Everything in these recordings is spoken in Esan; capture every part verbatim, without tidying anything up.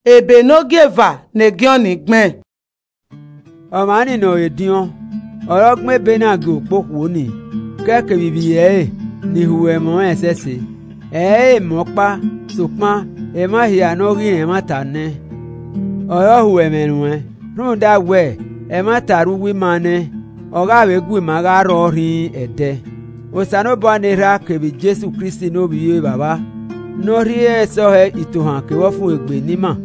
ebe ne ọ gie eva ne gioni gbẹn. Ọmwa ni nọ ediọn, ọre ọ gbẹn ebe na gie okpokhuo ni, ke kevbe ivbi ẹre ni hu ẹmwẹ ọnrẹn ẹsẹse. Ẹ i re emọ ọkpa, sokpan emwa hia ne ọ ghi rẹn ẹmwata nẹ, ọre ọ hu ẹmwẹ ruẹn, rhunmwuda wẹ, ẹmwata rre uwu ima nẹ, ọ gha vbe gu ima gha rrọọ rhinrin ẹdẹ. Osanobua ne Erha kevbe Jesu Kristi ne Ovbi Evbavba, ne ọ rhie ẹsọhẹ itohan kevbe ọfumwegbe ne ima,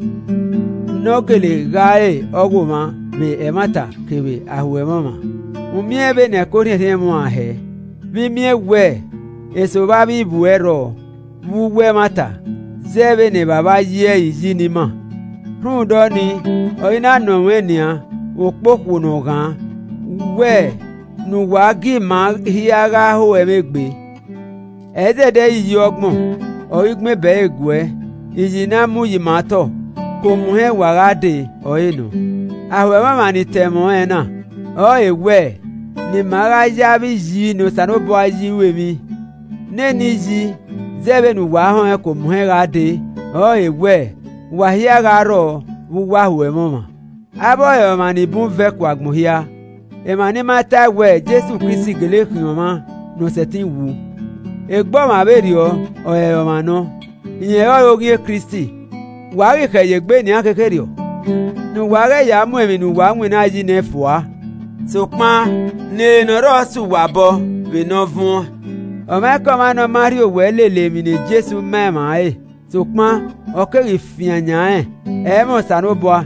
ne ọ gele gha re ọghomwa vbe ẹmwata kevbe aho ẹmwẹ ọmwa. U miẹn vbene ẹko rhiẹnrhiẹn mwa hẹ, vbe I miẹn wẹ, eso vbe avbe ivbi ẹre rrọọ, vbe uwu ẹmwata, zẹ vbene Evbavba yi ẹre iyi ne ima. Rhunmwuda ọnii, ọ i na nọ mwẹ nian, okpokhuo ne ọ ghaan, wẹ ne uwa gie ima hia gha ho ẹmwẹ egbe. Ẹ i zẹdẹ iyi ọgbọn, ọ ghi gbẹn bẹre guẹ, iyi ne a mu yi ima otọ, ke omuhẹn wa gha dee ọre nọ. Aho ẹmwẹ ọmwa ni ta ẹmwẹ ọnrẹn na, ọrọre wẹ, ne ima gha ya vbe iyi ne Osanobua yi ru emwi. Nene iyi, zẹ vbene uwa họẹn ke omuhẹn gha dee, ọrọre wẹ, wa hia gha rrọọ vbe uwu aho ẹmwẹ ọmwa. Avbe ọre ọmwa ni bun vẹ ku agbọn hia, emwa ni ma tae wẹ Jesu Kristi gele khian ọmwa ne ọ sẹtin wu. Egbe ọmwa vberriọ, ọ rẹrẹ ọmwa nọ, irẹn ọrọre oghian Kristi. Wa ghi khẹ ye egbe nian khekherriọ, ne uwa ghẹ ya mu emwi ne uwa winna yi nẹ fua, sokpan ne ere ne ọ rrọọ sẹ uwa obọ vbene ọ vuọn. Ọmwaikọmwa ne ọ ma rhie owẹ lele emwi ne Jesu ma emwa ẹre, sokpan ọ keghi fian yan rẹn, ẹ i mwẹ Osanobua.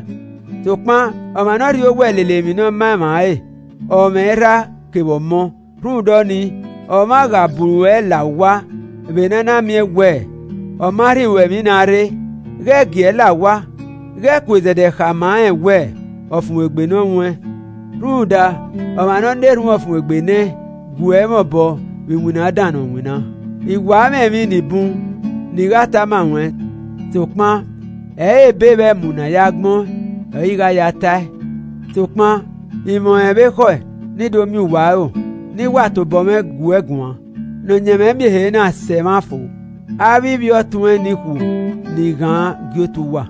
Sokpan ọmwa ne ọ rhie owẹ lele emwi ne ọ ma emwa ẹre, ọ mwẹ Erha kevbe Ọmọ. Rhunmwuda ọnii, ọmwa gha buru ẹe la owa, vbe ne a na miẹn wẹ, ọ ma rhie ruẹ emwi na rre, ghẹ gie ẹe la owa, ghẹ ku zẹdẹ khama rẹn wẹ, ọfumwegbe ne ọ mwẹ. Rhunmwuda, ọmwa ne ọ na erhunmwu ọfumwegbe nẹ, gu ẹe mwẹ obọ vbe iwinna Dan ne ọ winna. I wa mwẹ emwi ni bun, ne I gha tama ruẹn, sokpan ẹ i re ebe vbe ẹmu ne a ya gbẹn ọẹn ọre I gha ya tae. Sokpan I mwẹ ọnrẹn vbe ekhọe ne I do miẹn uwa aro, ne I wa tobọ mwẹ gu ẹe guan, ne ọyẹnmwẹ miẹn ehe na sẹ mwa fo, avbe ivbi ọtuẹn ni khu ni ghaan gie otu uwa.